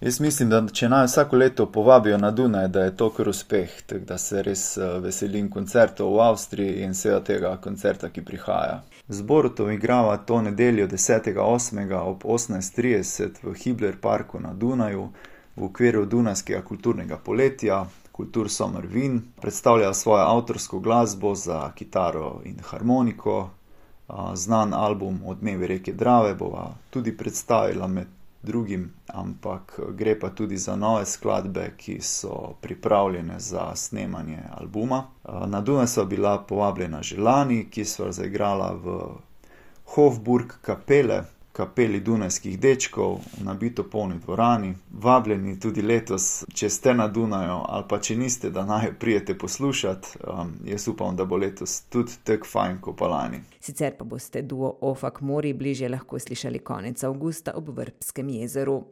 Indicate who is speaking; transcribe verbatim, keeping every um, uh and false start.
Speaker 1: Jaz mislim, da če naj vsako leto povabijo na Dunaj, da je to kar uspeh, tako da se res eh, veselim koncertov v Avstriji in vsega tega koncerta, ki prihaja. Z Borutom igrava to nedeljo desetega osmega ob osemnajst trideset v Hibler parku na Dunaju v okviru Dunajskega kulturnega poletja, Kultur Summer Wien. Predstavlja svojo avtorsko glasbo za kitaro in harmoniko. Znan album Od dnevi reke Drave bova tudi predstavila med drugim, ampak gre pa tudi za nove skladbe, ki so pripravljene za snemanje albuma. Na Dunaj sva bila povabljena že lani, ki sva zaigrala v Hofburg kapele, kapeli Dunajskih dečkov v nabito polni dvorani. Vabljeni tudi letos, če ste na Dunaju ali pa če niste, da naj prijete poslušati. Um, jaz upam, da bo letos tudi tako fajn kot pa lani.
Speaker 2: Sicer pa boste duo Ofak Mori bližje lahko slišali konec avgusta ob Vrbskem jezeru.